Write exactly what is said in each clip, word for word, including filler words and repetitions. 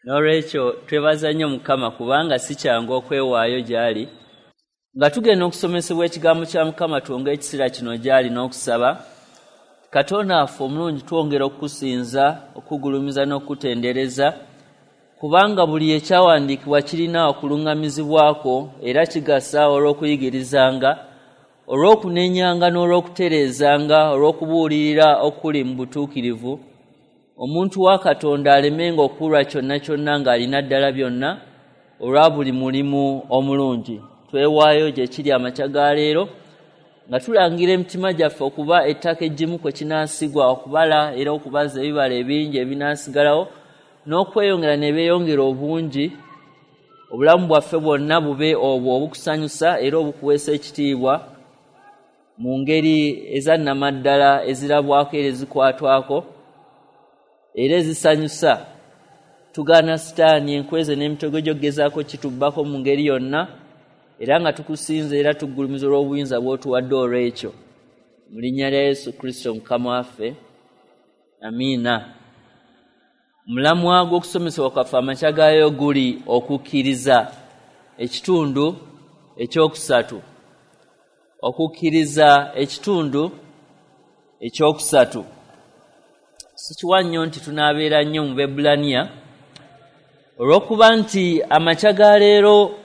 N'olwekyo twebaza nnyo Mukama kubanga si kyangu okwewaayo gy'ali. Nga tugenda okusomesebwa ekigambo kya Mukama, twongere ekiseera kino gy'ali n'okusaba. Katonda waffe omulungi, twongera okukusinza, okugulumiza n'okutendereza, kubanga buli ekyawandiikibwa kirina okuluŋŋamizibwako era kigasa olw'okuyigirizanga, olw'okunenyanga n'olw'okutereezanga, olw'okubuulirira okuli mu butuukirivu, omuntu wa Katonda alemenga okuwulwa kyonna kyonna ng'alina ddala byonna olwa buli mulimu omulungi. Twewaayo gye kiri amakya ga leero nga tulangira emitima gyaffe okuba ettaka eggimu kwe kinaasigwa okubala era okubaza ebibala ebingi ebinaasigalawo n'okweyongera ne beeyongera obungi, obulamu bwaffe bwonna bube obwo obukusanyusa era obukuweesa ekitiibwa mu ngeri ezannamaddala ezirabwako era ezikwatwako era ezisanyusa. Tugaana Sitaani enkweze n'emitego gy'okugezaako kitubbako mu ngeri yonna, era nga tukusinza era tugulumiza olw'obuyinza bw'otuwadde olw'ekyo. Mu linnya lya Yesu Kristo Mukama waffe, amiina. Omulamwa gw'okusomesebwa kwaffe amakya gaayo guli okukkiriza, ekitundu ekyokusatu. Okukkiriza ekitundu ekyokusatu. Sikiwa nnyo nti tunaabeera nnyo mu Bebbulaniya, olw'okuba nti amakya ga leero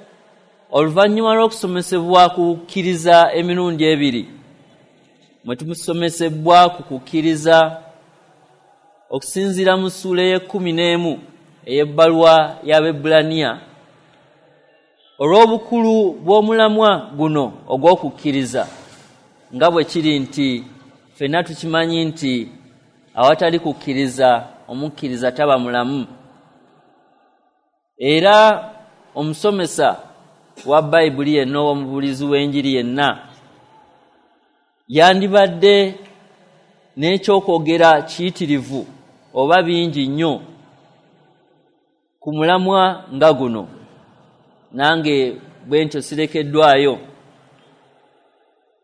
oluvannyuma lw'okusomesebwa ku kukkiriza emirundi ebiri, mwe tumusomesebwa ku kukkiriza okusinziira mu ssuula ey'ekkumi n'emu ey'ebbaluwa y'Abebbulaniya, olw'obukulu bw'omulamwa guno ogw'okukkiriza, nga bwe kiri nti ffenna tukimanyi nti awatali kukkiriza omukkiriza taba mulamu. Era omusomesa wa Bayibuli yenna oba omubuulizi w'enjiri yenna yandibadde n'ekyokwogera kiyitirivu oba bingi nnyo ku mulamwa nga guno. Nange bwe ntyo sirekeddwayo,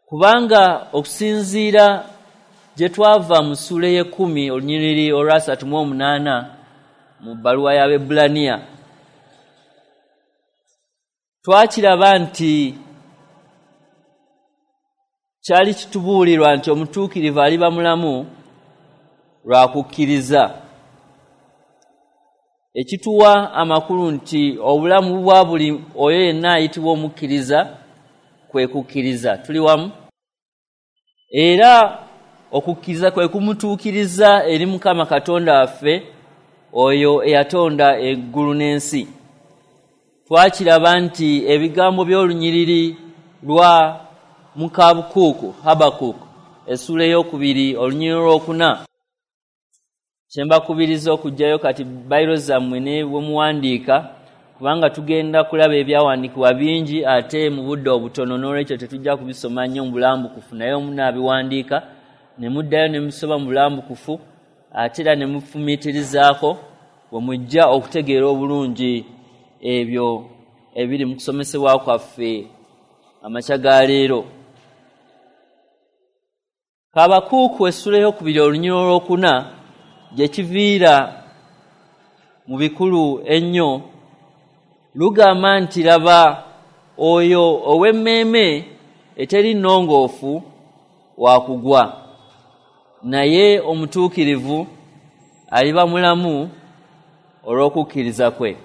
kubanga okusinziira gye twava mu ssuula ey'ekkumi olunyiriri olwasatu mu omunaana mu bbaluwa y'Abebbulaniya, twakiraba nti kyali kitubuulirwa nti omutuukirivu aliba mulamu lwa kukkiriza, ekituwa amakulu nti obulamu bwa buli oyo yenna ayitibwa omukkiriza kwe kukkiriza. Tuli wamu? Era okukkiriza kwe kumutuukiriza eri Mukama Katonda waffe oyo eyatonda eggulu n'ensi. Twakiraba nti ebigambo by'olunyiriri lwa Mukabukuku, Habakuku, essuula ey'okubiri olunyiriri olwokuna, kye mbakubiriza okuggyayo kati bayiro zammwe ne bwe muwandiika, kubanga tugenda kulaba ebyawandiikibwa bingi ate mu budde obutono, n'olwekyo tetujja kubisoma nnyo mu bulambukufu, naye munaabiwandiika ne muddayo ne musoma mu bulambukufu ate era ne mufumiitirizaako bwe mujja okutegeera obulungi ebyo ebiri mu kusomesebwa kwaffe amakya ga leero. Habakuuku essuula ey'okubiri olunyiriri olwokuna gye kiviira mu bikulu ennyo lugamba nti laba oyo ow'emmeeme eteri nnongoofu wa kugwa, naye omutuukirivu aliba mulamu olw'okukkiriza kwe.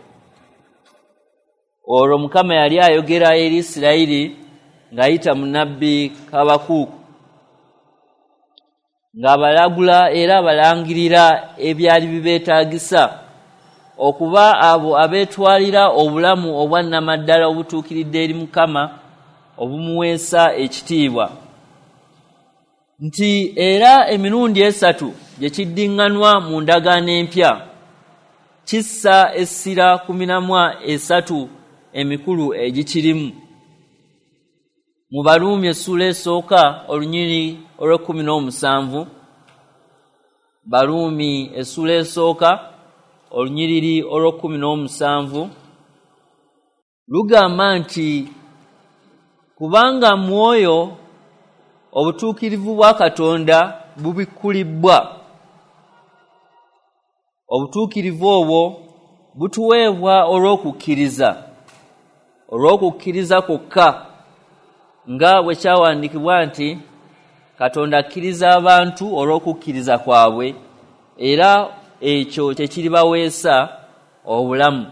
Olwo Mukama yali ayogera eri Isirayiri ng'ayita mu nnabbi Habakuuku, ng'abalagula era abalangirira ebyali bibeetaagisa okuba abo abeetwalira obulamu obwa nnamaddala obutuukiridde eri Mukama obumuweesa ekitiibwa. Nti era emirundi esatu gye kiddiŋŋanwa mu ndagaano empya kissa essira ku miramwa esatu emikulu egikirimu. Mu Baruumi essuula esooka olunyiriri olw'ekkumi n'omusanvu, Baruumi essuula esooka olunyiriri olw'ekkumi n'omusanvu lugamba nti kubanga mwoyo obutuukirivu bwa Katonda bubikkulibbwa, obutuukirivu obwo butuweebwa olw'okukkiriza, olw'okukkiriza kwokka, nga bwe kyawandiikibwa nti Katonda akkiriza abantu olw'okukkiriza kwabwe, era ekyo kyekiribaweesa obulamu.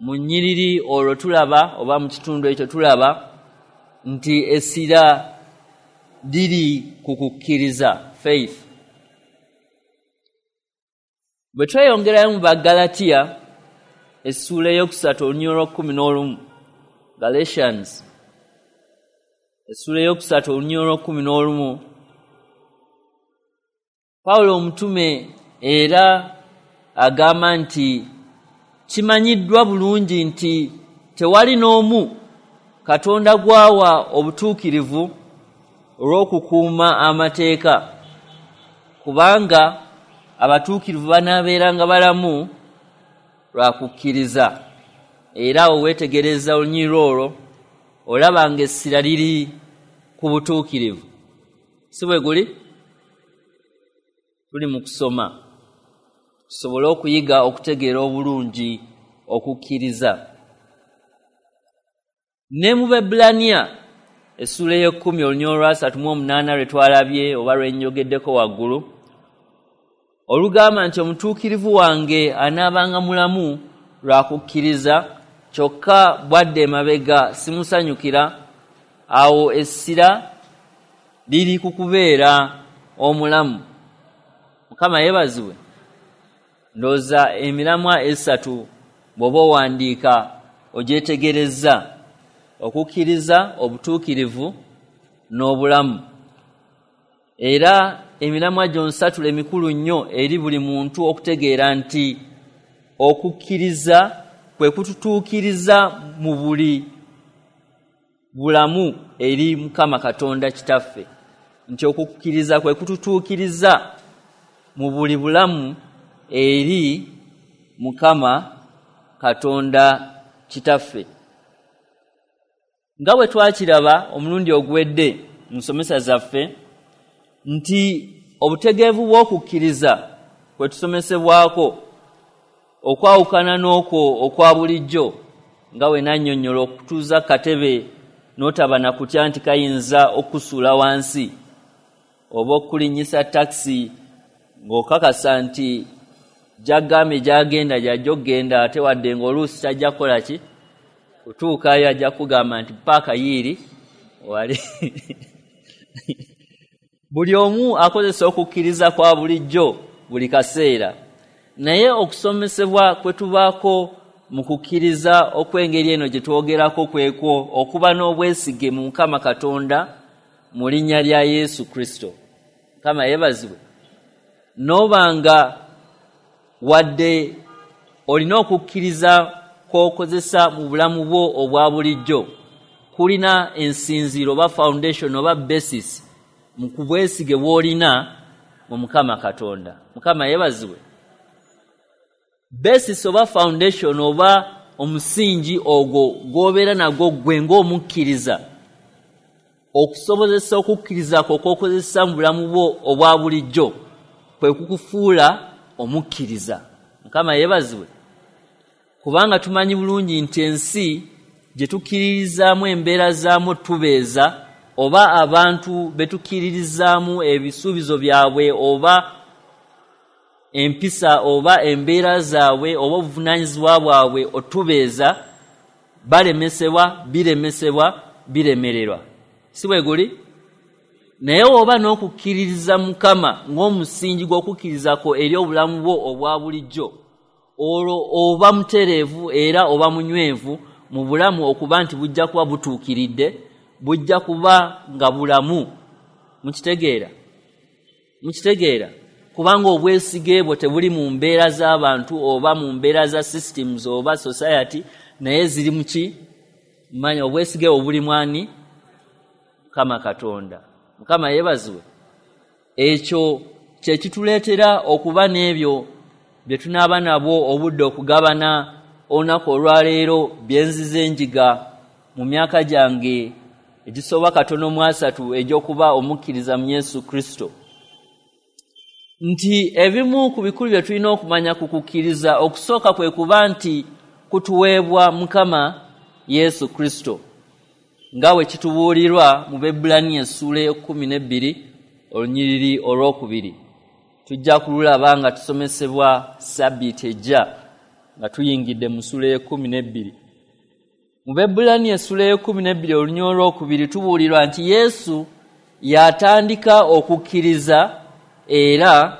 Mu nnyiriri olwo tulaba, oba mu kitundu ekyo tulaba nti essira liri ku kukkiriza, faith. Bwe tweyongerayo mu Baggalatiya essuula ey'okusatu olunyiriri olw'ekkumi n'olumu, Galatians essuula ey'okusatu olunyiriri olw'ekkumi n'olumu, Pawulo omutume era agamba nti kimanyiddwa bulungi nti tewali n'omu Katonda gw'awa obutuukirivu olw'okukuuma amateeka, kubanga abatuukirivu banaabeeranga balamu lwa kukkiriza. Era awo weetegereza olunyiriri olwo olaba ng'essira liri ku butuukirivu. Si bwe guli? Tuli mu kusoma tusobole okuyiga okutegeera obulungi okukkiriza. Ne mu Baebbulaniya essuula ey'ekkumi olunyiriri olwasatu mu omunaana lwe twalabye oba lwe nnyogeddeko waggulu, olugamba nti omutuukirivu wange anaabanga mulamu lwa kukkiriza, kyokka bwadde emabega simusanyukira. Awo essira liri ku kubeera omulamu. Mukama yeebazibwe. Ndowooza emiramwa esatu bw'oba owandiika ogyetegereza: okukkiriza, obutuukirivu n'obulamu. Era emiramwa gyonsatule emikulu nnyo eri buli muntu okutegeera nti okukkiriza kwe kututuukiriza mu buli bulamu eri Mukama Katonda Kitaffe, nti okukkiriza kwe kututuukiriza mu buli bulamu eri Mukama Katonda Kitaffe. Nga bwe twakiraba omulundi oguwedde mu nsomesa zaffe nti obutegeevu bw'okukkiriza kwe tusomesebwako okwawukana n'okwo okwa bulijjo, nga we nannyonnyola okutuuza katebe n'otaba na kutya nti kayinza okusuula wansi, oba okulinnyisa takisi ng'okakasa nti gy'agambye gy'agenda gy'ajja okugenda, ate wadde ng'oluusi tajja kukola ki kutuukayo, ajja kugamba nti paaka yiiri wali. Buli omu akozesa okukkiriza kwa bulijjo buli kaseera, naye okusomesebwa kwe tubaako mu kukkiriza okw'engeri eno gye twogerako kwekwo okuba n'obwesige mu Mukama Katonda mu linnya lya Yesu Kristo. Mukama yeebazibwe. N'obanga wadde olina okukkiriza kw'okozesa mu bulamu bwo obwa bulijjo, kulina ensinziiro oba foundation oba basis mu kubwesige bw'olina mu Mukama Katonda. Mukama yeebazibwe. Basis oba foundation oba omusingi ogwo gw'obeera nagwo ggwe ng'omukkiriza, okusobozesa okukkiriza kwo kw'okozesa mu bulamu bwo obwa bulijjo kwe kukufuula omukkiriza. Mukama yeebazibwe. Kubanga tumanyi bulungi nti ensi gye tukkiririzaamu embeera zaamu tubeeza, oba abantu be tukkiririzaamu ebisuubizo byabwe oba empisa oba embeera zaabwe oba obuvunaanyizibwa bwabwe otubeeza, balemesebwa, biremesebwa, biremererwa. Si bwe guli? Naye oba n'okukkiririza Mukama ng'omusingi gw'okukkirizako eri obulamu bwo obwa bulijjo, olwo oba mutereevu era oba munywevu mu bulamu okuba nti bujja kuba butuukiridde, bujja kuba nga bulamu. Mukitegeera? Mukitegeera? Kubanga obwesige bwo tebuli mu mbeera z'abantu oba mu mbeera za systems oba society, naye ziri mu ki? Manya obwesige bwo buli mwani? Mukama Katonda. Mukama yeebazibwe. Ekyo kye kituleetera okuba n'ebyo bye tunaaba nabwo obudde okugabana olunaku olwaleero bye nzize njiga mu myaka gyange egisoba katono mu asatu egy'okuba omukkiriza mu Yesu Kristo. Nti ebimu ku bikulu bye tulina okumanya ku kukkiriza, okusooka kwe kuba nti kutuweebwa Mukama Yesu Kristo, nga bwe kitubuulirwa mu Baebbulaniya essuula ey'ekkumi n'ebbiri olunyiriri olwokubiri. Tujja kululaba nga tusomesebwa Ssabbiiti ejja nga tuyingidde mu ssuula ey'ekkumi n'ebbiri. Mu Baebbulaniya essuula ey'ekkumi n'ebbiri olunyiriri olwokubiri tubuulirwa nti Yesu yatandika okukkiriza era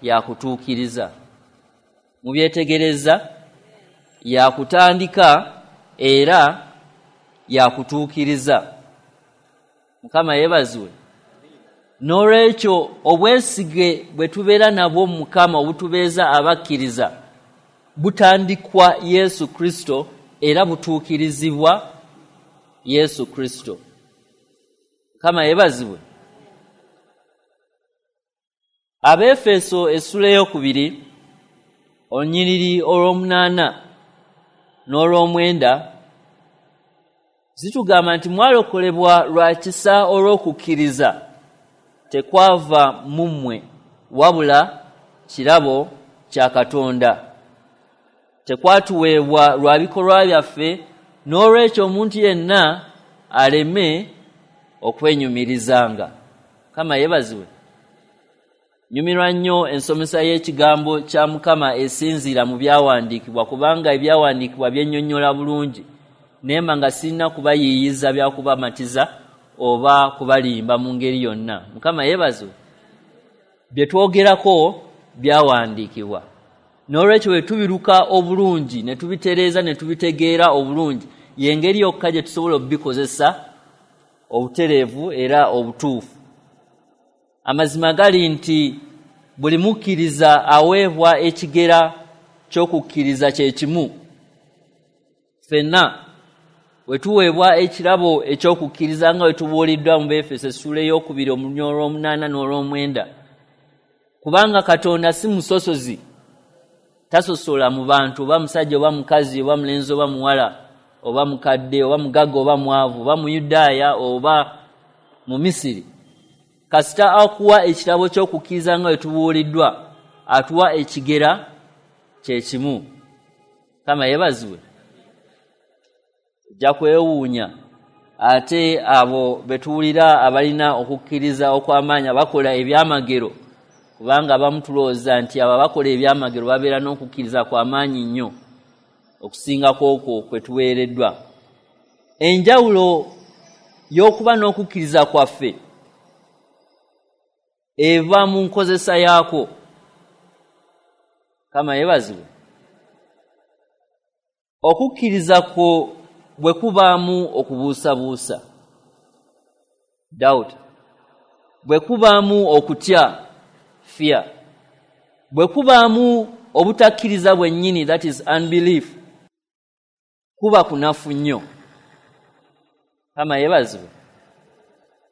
yakutuukiriza. Mubyetegereza, yakutandika era yakutuukiriza. Mukama yeebazibwe. N'olwekyo obwesige bwe tubeera nabwo mu Mukama obutubeeza abakkiriza butandikwa Yesu Kristo era butuukirizibwa Yesu Kristo. Mukama yeebazibwe. Abeefeso essuula ey'okubiri olunyiriri olw'omunaana n'olw'omwenda zitugamba nti mwalokolebwa lwa kisa olw'okukkiriza, tekwava mu mmwe wabula kirabo kya Katonda. Tekwatuweebwa lwa bikolwa byaffe, n'olwekyo omuntu yenna aleme okwenyumirizanga. Mukama yeebazibwe. Nyumirwa nnyo ensomesa y'ekigambo kya Mukama esinziira mu byawandiikibwa, kubanga ebyawandiikibwa byennyonnyola bulungi, nemba nga sirina kubayiiyiza byakubamatiza oba kubalimba mu ngeri yonna. Mukama yeebazibwe. Bye twogerako byawandiikibwa, n'olwekyo bwe tubiruka obulungi ne tubitereeza ne tubitegeera obulungi, y'engeri yokka gye tusobola okubikozesa obutereevu era obutuufu. Amazima gali nti buli mukkiriza aweebwa ekigera ky'okukkiriza kye kimu. Ffenna bwe tuweebwa ekirabo eky'okukkiriza nga bwe tubuuliddwa mu Beefeso essuula ey'okubiri olunyiriri olw'omunaana n'olw'omwenda, kubanga Katonda si musosozi, tasosola mu bantu, oba musajja oba mukazi oba mulenzi oba muwala oba mukadde oba mugagga oba mwavu oba Muyudaaya oba mu Misiri. Kasita akuwa ekirabo ky'okukkiriza nga bwe tubuuliddwa, atuwa ekigera kye kimu. Mukama yeebazibwe. Ojja kwewuunya ate abo be tuwulira abalina okukkiriza okw'amaanyi abakola ebyamagero, kubanga abamu tulowooza nti abo abakola ebyamagero babeera n'okukkiriza kw'amaanyi nnyo okusinga kw'okwo kwe tuweereddwa. Enjawulo y'okuba n'okukkiriza kwaffe eva mu nkozesa yaakwo. Mukama yeebazibwe. Okukkiriza kwo bwe kubaamu okubuusabuusa, doubt, bwe kubaamu okutya, fear, bwe kubaamu obutakkiriza bwennyini, that is unbelief, kuba kunafu nnyo. Mukama yeebazibwe.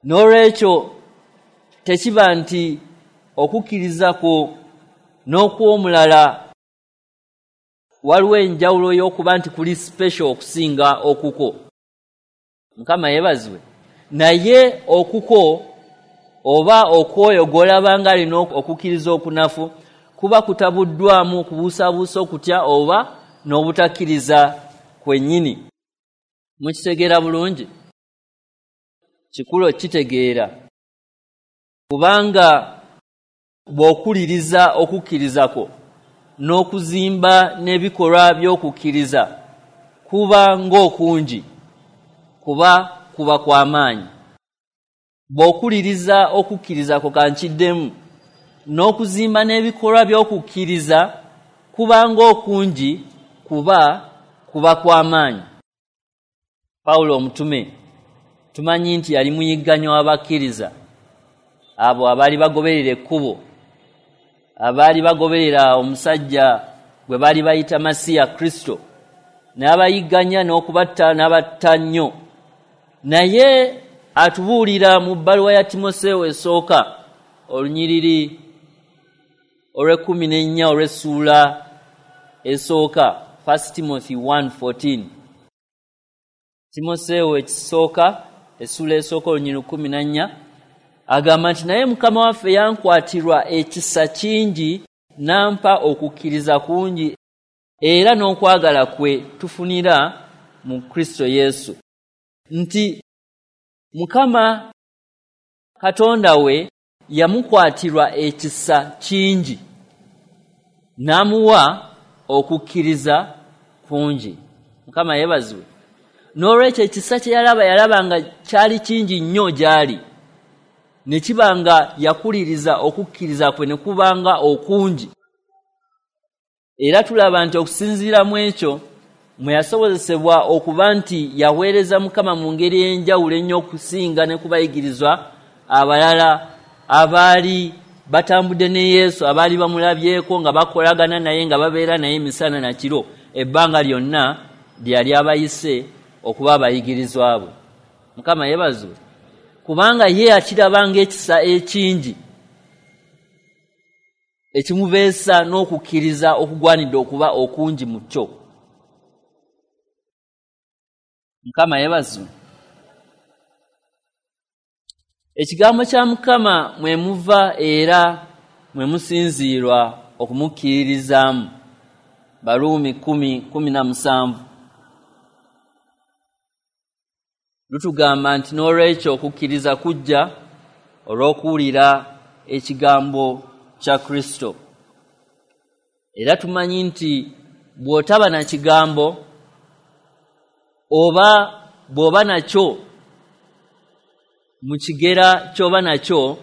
N'olwekyo tekiba nti okukkiriza kwo n'okw'omulala waliwo enjawulo y'okuba nti kuli special okusinga okuko. Mukama yeebazibwe. Naye okuko oba okwoyo gw'olaba nga alina okukkiriza okunafu kuba kutabuddwamu okubuusabuusa, okutya oba n'obutakkiriza kwennyini. Mukitegeera bulungi? Kikulu okukitegeera, kubanga bw'okuliriza okukkiriza kwo n'okuzimba n'ebikolwa by'okukkiriza kuba ng'okungi, kuba kuba kw'amaanyi. Bw'okuliriza okukkiriza kwo, kankiddemu, n'okuzimba n'ebikolwa by'okukkiriza kuba ng'okungi, kuba kuba kw'amaanyi. Pawulo omutume tumanyi nti yali muyigganyo w'abakkiriza, abo abaali bagoberera ekkubo, abaali bagoberera omusajja gwe baali bayita Masiya Kristo, n'abayigganya n'okubatta n'abatta nnyo. Naye atubuulira mu bbaluwa ya Timoseewo esooka olunyiriri olw'ekkumi n'ennya olw'essuula esooka, First Timothy one fourteen. Timoseewo ekisooka essuula esooka olunyiriri kkumi na nnya Agamba nti naye Mukama waffe yankwatirwa ekisa kingi, n'ampa okukkiriza kungi era n'okwagala kwe tufunira mu Kristo Yesu. Nti Mukama Katonda we yamukwatirwa ekisa kingi, n'amuwa okukkiriza kungi. Mukama yeebazibwe. N'olwekyo ekisa kye yalaba, yalaba nga kyali kingi nnyo gy'ali, ne kiba nga yakuliriza okukkiriza kwe ne kubanga okungi. Era tulaba nti okusinziira mu ekyo mwe yasobozesebwa okuba nti yaweereza Mukama mu ngeri ey'enjawulo ennyo okusinga ne kubayigirizwa abalala abaali batambudde ne Yesu, abaali bamulabyeko nga bakolagana naye, nga babeera naye emisana na kiro ebbanga lyonna lye yali abayise okuba abayigirizwa bwe. Mukama yeebazibwe, kubanga ye yakiraba ng'ekisa ekingi ekimubeesa n'okukkiriza okugwanidde okuba okungi mu kyo. Mukama yeebazibwe. Ekigambo kya Mukama mwe muva era mwe musinziirwa okumukkiririzaamu. Baruumi kumi kumi na musanvu lutugamba nti n'olwekyo okukkiriza kujja olw'okuwulira ekigambo kya Kristo. Era tumanyi nti bw'otaba na kigambo oba bw'oba nakyo mu kigera ky'oba nakyo,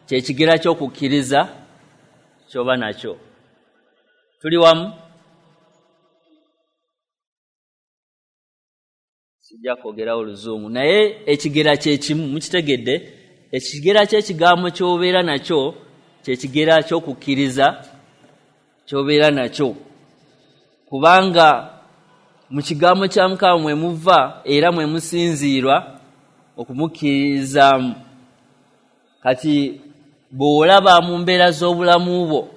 kye kigera ky'okukkiriza ky'oba nakyo. Tuli wamu? Sijja kwogerawo Oluzungu, naye ekigera kye kimu, mukitegedde? Ekigera ky'ekigambo ky'obeera nakyo kye kigera ky'okukkiriza ky'obeera nakyo, kubanga mu kigambo kya Mukama mwe muva era mwe musinziirwa okumukkirizaamu. Kati bw'olaba mu mbeera z'obulamu bwo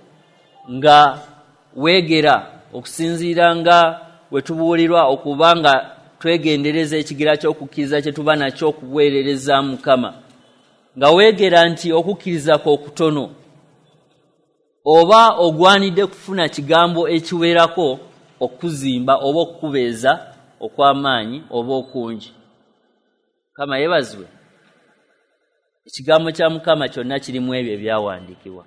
nga weegera okusinziira nga we tubuulirwa okuba nga twegendereza ekigera ky'okukkiriza kye tuba nakyo okuweerereza Mukama, nga weegera nti okukkiriza kwo okutono oba ogwanidde kufuna kigambo ekiwerako okuzimba oba okukubeeza okw'amaanyi oba okungi. Mukama yeebazibwe. Ekigambo kya Mukama kyonna kirimu ebyo ebyawandiikibwa,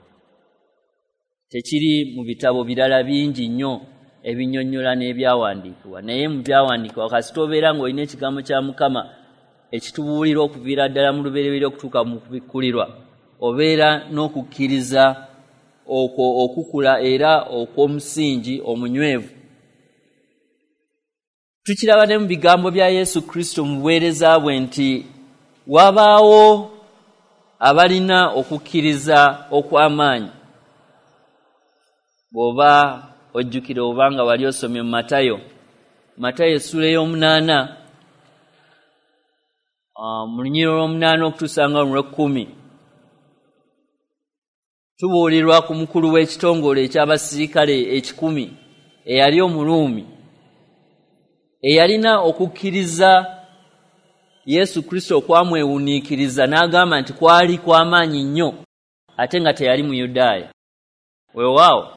tekiri mu bitabo birala bingi nnyo ebinnyonnyola n'ebyawandiikibwa, naye mu byawandiikibwa kasita obeera ng'olina ekigambo kya Mukama ekitubuulira okuviira ddala mu lubereberye okutuuka mu kubikkulirwa, obeera n'okukkiriza okwo okukula era okw'omusingi omunywevu. Tukiraba ne mu bigambo bya Yesu Kristo mu buweereza bwe nti wabaawo abalina okukkiriza okw'amaanyi. Bw'oba ojjukira oba nga wali osomye mu Matayo, Matayo essuula ey'omunaana mu lunyiriri olw'omunaana okutuusa nga olw'ekkumi, tubuulirwa ku mukulu w'ekitongole eky'abasirikale ekikumi eyali Omuruumi, eyalina okukkiriza Yesu Kristo okwamwewuniikiriza n'agamba nti kwali kw'amaanyi nnyo ate nga teyali Muyudaaya. Weewaawo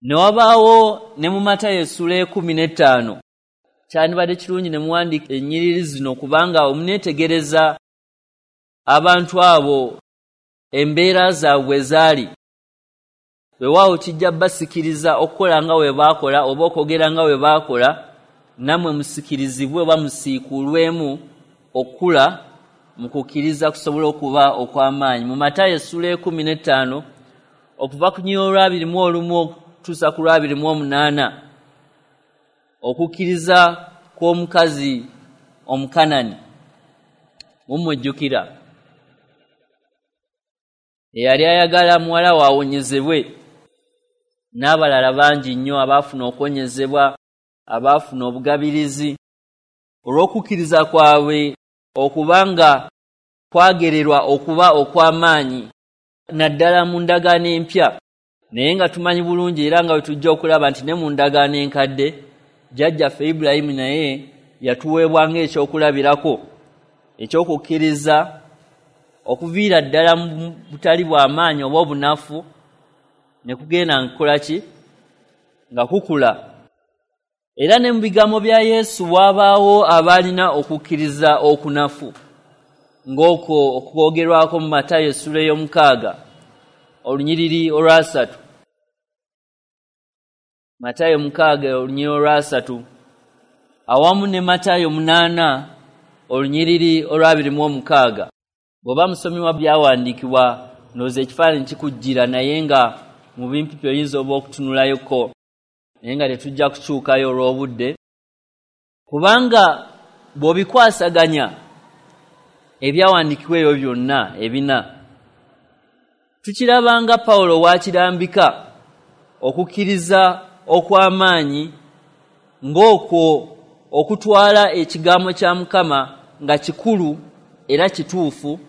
ne wabaawo ne mu Matayo essuula ekkumi n'ettaano. Kyandibadde kirungi ne muwandiika ennyiriri zino kubanga omuneetegereza abantu abo embeera zaabwe bwe zaali. Weewaawo kijja basikiriza okukola nga bwe baakola oba okwogera nga bwe baakola, nammwe musikirizibwe oba musiikulwemu okukula mu kukkiriza kusobola okuba okw'amaanyi. Mu Matayo essuula ekkumi n'ettaano okuva ku lunyiriri olw'abiri mu olumu okutuusa ku lw'abiri mu omunaana, okukkiriza kw'omukazi Omukanani mumujjukira, eyali ayagala muwala we awonyezebwe, n'abalala bangi nnyo abaafuna okuwonyezebwa, abaafuna obugabirizi olw'okukkiriza kwabwe okuba nga kwagererwa okuba okw'amaanyi naddala mu ndagaano empya. Naye nga tumanyi bulungi era nga bwe tujja okulaba nti ne mu ndagaano enkadde jjajjaffe Ibulayimu naye yatuweebwa ng'ekyokulabirako ekyokukkiriza okuviira ddala mu butali bw'amaanyi oba obunafu ne kugenda nkukola ki nga kukula. Era ne mu bigambo bya Yesu wabaawo abaalina okukkiriza okunafu ng'okwo okwogerwako mu Matayo essula ey'omukaaga olunyiriri olwasatu. Matayo mukaaga olunyiriri olwasatu awamu ne Matayo munaana olunyiriri olwabiri mu omukaaga. Bw'oba musomi wa byawandiikibwa ndowooza ekifaananyi kikujjira, naye nga mu bimpipi oyinza oba okutunulayoko, naye nga tetujja kukyukayo olw'obudde, kubanga bw'obikwasaganya ebyawandiikibwa ebyo byonna ebina tukiraba nga Pawulo w'akirambika okukkiriza okw'amaanyi ng'okwo okutwala ekigambo kya Mukama nga kikulu era kituufu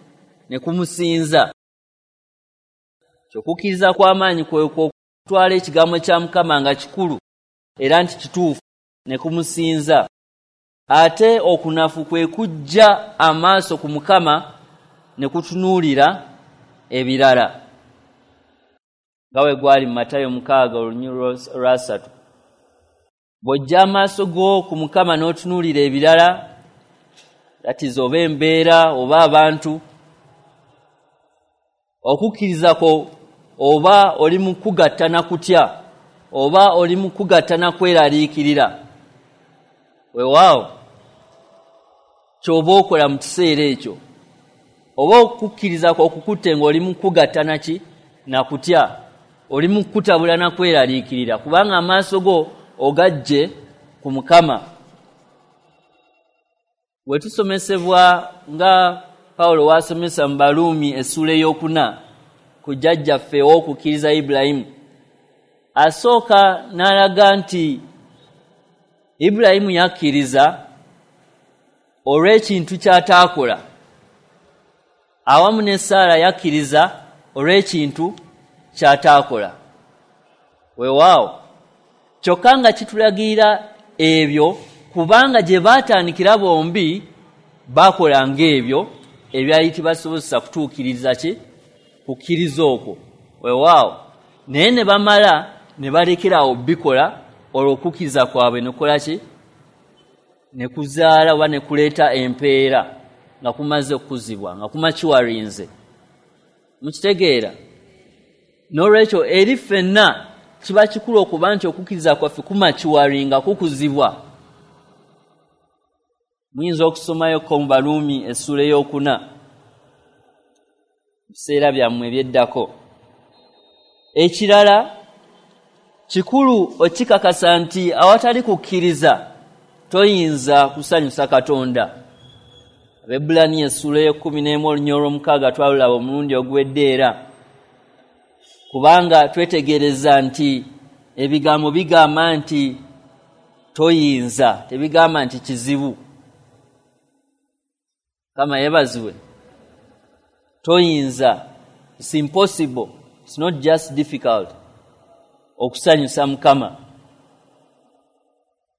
ne kumusinza. Okukkiriza kw'amaanyi kwe okutwala ekigambo kya Mukama nga kikulu era nti kituufu ne kumusinza. Ate okunafu kwe kujja amaaso ku Mukama ne kutunuulira ebirala, nga bwe gwali mu Matayo mukaaga olunyiriri olwasatu. Bw'ojja amaaso go ku Mukama n'otunuulira ebirala, that is oba embeera oba abantu, okukkiriza kwo oba oli mu kugatta na kutya oba oli mu kugatta na kweraliikirira, weewaawo ky'oba okola mu kiseera ekyo, oba okukkiriza kwo okukutte ng'oli mu kugatta na ki na kutya, oli mu kutabula na kweraliikirira, kubanga amaaso go ogajje ku Mukama. Bwe tusomesebwa nga Pawulo w'asomesa mu Baruumi essuula ey'okuna ku jjajjaffe ow'okukkiriza Ibulayimu, asooka n'alaga nti Ibulayimu yakkiriza olw'ekintu ky'ataakola, awamu ne Saara yakkiriza olw'ekintu ky'ataakola. Weewaawo kyokka nga kitulagirira ebyo, kubanga gye baatandikira bombi baakola ng'ebyo ebyali tibasobozesa kutuukiriza ki kukkiriza okwo. Weewaawo naye ne bamala ne balekera awo bikola, olwo okukkiriza kwabwe ne kukola ki ne kuzaala oba ne kuleeta empeera nga kumaze okukuzibwa, nga kumakiwarinze. Mukitegeera? N'olwekyo eri ffenna kiba kikulu okuba nti okukkiriza kwaffe kumakiwaringa, kukuzibwa. Muyinza okusomayoko mu Baruumi essuula ey'okuna mu biseera byammwe ebyeddako. Ekirala kikulu okikakasa nti awatali kukkiriza toyinza kusanyusa Katonda. Abaebbulaniya essuula ey'ekkumi n'emu olunyiriri olw'omukaaga twalulaba omulundi oguwedde era, kubanga twetegereza nti ebigambo bigamba nti toyinza, tebigamba nti kizibu. Kama yeebazibwe. Toyinza, it's impossible, it's not just difficult okusanyusa Mukama.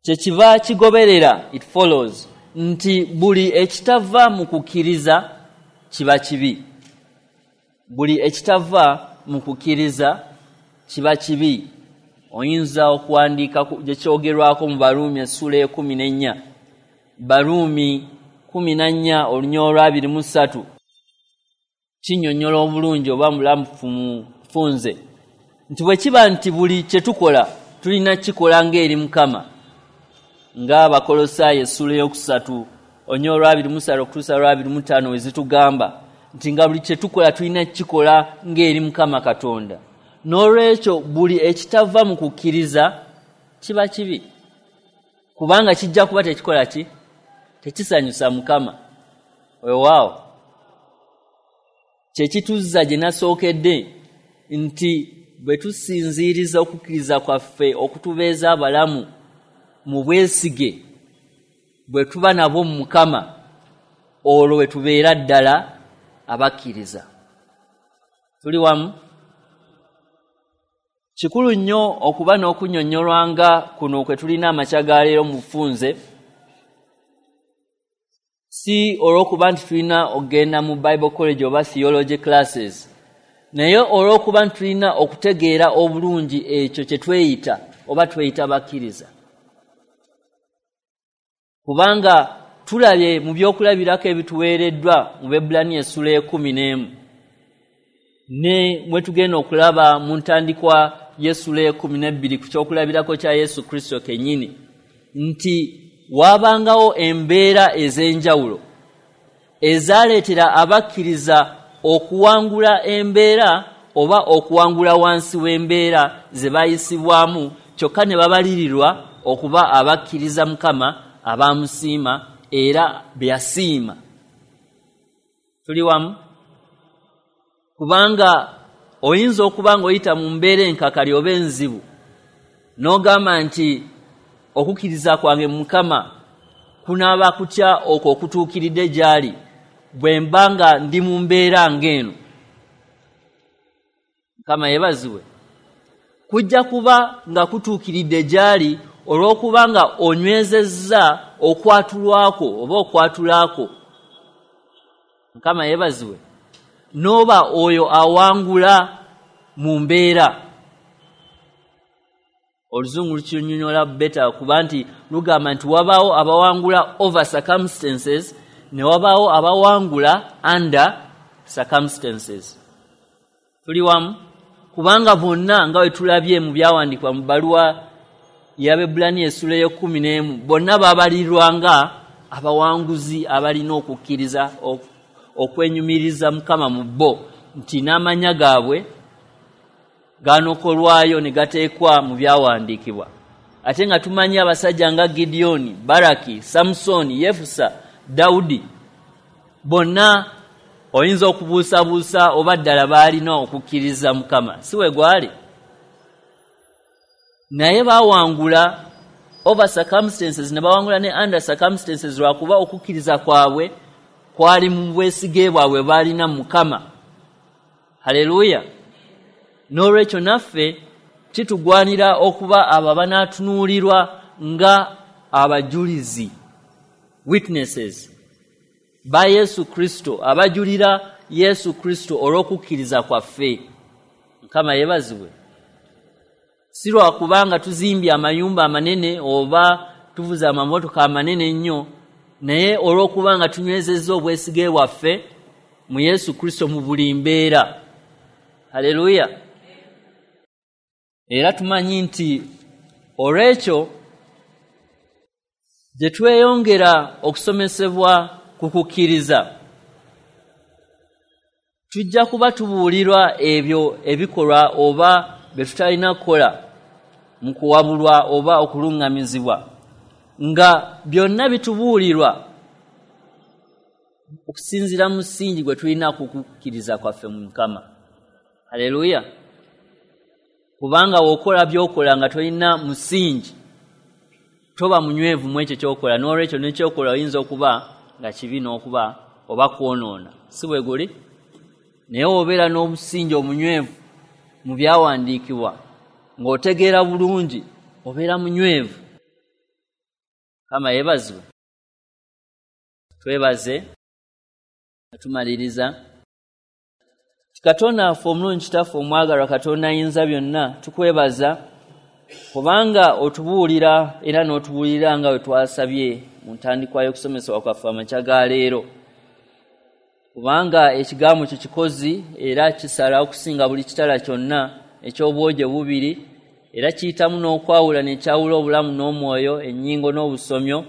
Kyekiva kigoberera, it follows nti buli ekitava mu kukkiriza kiba kibi. Buli ekitava mu kukkiriza kiba kibi. Oyinza okuwandiika gye kyogerwako mu Baruumi essuula ey'ekkumi n'ennya. Baruumi kkumi na nnya olunyiriri olw'abiri mu ssatu kinnyonnyola obulungi oba mulamufu mufunze nti bwe kiba nti buli kye tukola tulina kukikola ng'eri Mukama, ng'Abakolosaayo essuula ey'okusatu olunyiriri olw'abiri mu ssatu okutuusa lw'abiri mu ttaano we zitugamba nti nga buli kye tukola tulina kukikola ng'eri Mukama Katonda. N'olwekyo buli ekitava mu kukkiriza kiba kibi, kubanga kijja kuba tekikola ki tekisanyusa Mukama. Weewaawo kye kituzza gye nasookedde nti bwe tusinziiriza okukkiriza kwaffe okutubeeza abalamu mu bwesige bwe tuba nabwo mu Mukama, olwo we tubeera ddala abakkiriza. Tuli wamu? Kikulu nnyo okuba n'okunnyonnyolwa nga kuno kwe tulina amakya ga leero mu bufunze. Si olw'okuba nti tulina okugenda mu Bible college oba theology classes, naye olw'okuba nti tulina okutegeera obulungi ekyo kye tweyita oba tweyita bakkiriza. Kubanga tulabye mu byokulabirako ebituweereddwa mu Baebbulaniya essula ekumi n'emu, ne mwe tugenda okulaba mu ntandikwa y'essula ekumi n'ebbiri ku kyokulabirako kya Yesu Kristo kennyini, nti waabangawo embeera ez'enjawulo ezaaleetera abakkiriza okuwangula embeera oba okuwangula wansi w'embeera ze bayisibwamu, kyokka ne babalirirwa okuba abakkiriza Mukama abamusiima era be yasiima. Tuli wamu? Kubanga oyinza okuba ng'oyita mu mbeera enkakali oba enzibu n'ogamba nti okukkiriza kwange Mukama kunaaba kutya okwo okutuukiridde gy'ali bwe mba nga ndi mu mbeera ng'eno. Mukama yeebazibwe. Kujja kuba nga kutuukiridde gy'ali olw'okuba nga onywezezza okwatulwako oba okwatulako. Mukama yeebazibwe. N'oba oyo awangula mu mbeera. Oluzungu lukinyonyola better kuba nti lugamba nti wabaawo abawangula over circumstances ne wabaawo abawangula under circumstances. Tuli wamu? Kubanga bonna nga bwe tulabye mu byawandiikibwa mu bbaluwa y'Abaebbulaniya essula ey'ekkumi n'emu, bonna babalirwa nga abawanguzi abalina okukkiriza okwenyumiriza Mukama mu bo, nti n'amannya gaabwe ganokolwayo ne gateekwa mu byawandiikibwa. Ate nga tumanyi abasajja nga Gideoni, Baraki, Samusoni, Yefusa, Dawudi, bonna oyinza okubuusabuusa oba ddala baalina okukkiriza Mukama, si we gwali? Naye bawangula over circumstances ne bawangula ne under circumstances lwakuba okukkiriza kwabwe kwali mu bwesige bwabwe baalina Mukama. Haleluya. N'olwekyo naffe kitugwanira okuba abo abanaatunuulirwa nga abajulizi, witnesses ba Yesu Kristo, abajulira Yesu Kristo olw'okukkiriza kwaffe. Mukama yeebazibwe. Si lwakubanga tuzimbye amayumba amanene oba tuvuze amamotoka amanene ennyo, naye olw'okubanga tunywezezza obwesige bwaffe mu Yesu Kristo mu buli mbeera. Haleluya. Era tumanyi nti olw'ekyo gye tweyongera okusomesebwa ku kukkiriza, tujja kuba tubuulirwa ebyo ebikolwa oba bye tutalina kukola mu kuwabulwa oba okuluŋŋamizibwa, nga byonna bitubuulirwa okusinziira mu musingi gwe tulina ku kukkiriza kwaffe mu Mukama. Haleluya. Kubanga w'okola by'okola nga tolina musingi, toba munywevu mu ekyo ky'okola. N'olwekyo n'ekyokola oyinza okuba nga kibi n'okuba oba kwonoona, si bwe guli? Naye obeera n'omusingi omunywevu mu byawandiikibwa ng'otegeera bulungi, obeera munywevu. Mukama yeebazibwe. Twebaze nga tumaliriza. Katonda waffe omulungi, Kitaffe omwagalwa, Katonda ayinza byonna, tukwebaza kubanga otubuulira era n'otubuulira nga bwe twasabye mu ntandikwa y'okusomesebwa kwaffe amakya ga leero. Kubanga ekigambo kyo kikozi era kisala okusinga buli kitala kyonna eky'obwogi bubiri, era kiyitamu n'okwawula ne kyawula obulamu n'omwoyo, ennyingo n'obusomyo,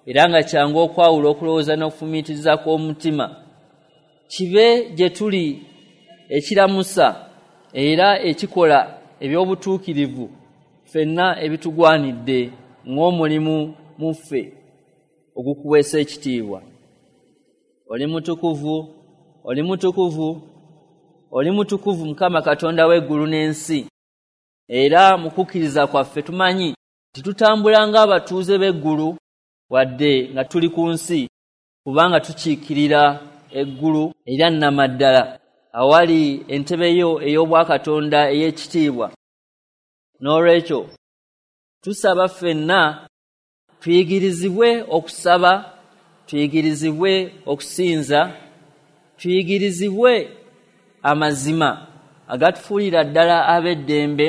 era nga kyangu okwawula okulowooza n'okufumiitiriza kw'omutima. Kibe gye tuli ekiramusa era ekikola eby'obutuukirivu ffenna ebitugwanidde ng'omulimu mu ffe ogukuweesa ekitiibwa. Oli mutukuvu, oli mutukuvu, oli mutukuvu Mukama Katonda w'eggulu n'ensi. Era mu kukkiriza kwaffe tumanyi nti tutambula ng'abatuuze b'eggulu wadde nga tuli ku nsi, kubanga tukiikirira eggulu erya nnamaddala awali entebe yo ey'obwakatonda ey'ekitiibwa. N'olwekyo tusaba ffenna tuyigirizibwe okusaba Tuyigirizibwe okusinza, tuyigirizibwe amazima agatufuulira ddala ab'eddembe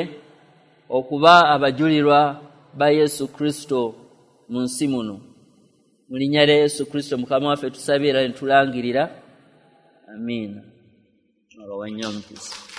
okuba abajulirwa ba Yesu Kristo mu nsi muno. Mu linnya lya Yesu Kristo Mukama waffe tusabye era ne tulangirira. Amiina. Abawa nnyo omukisa.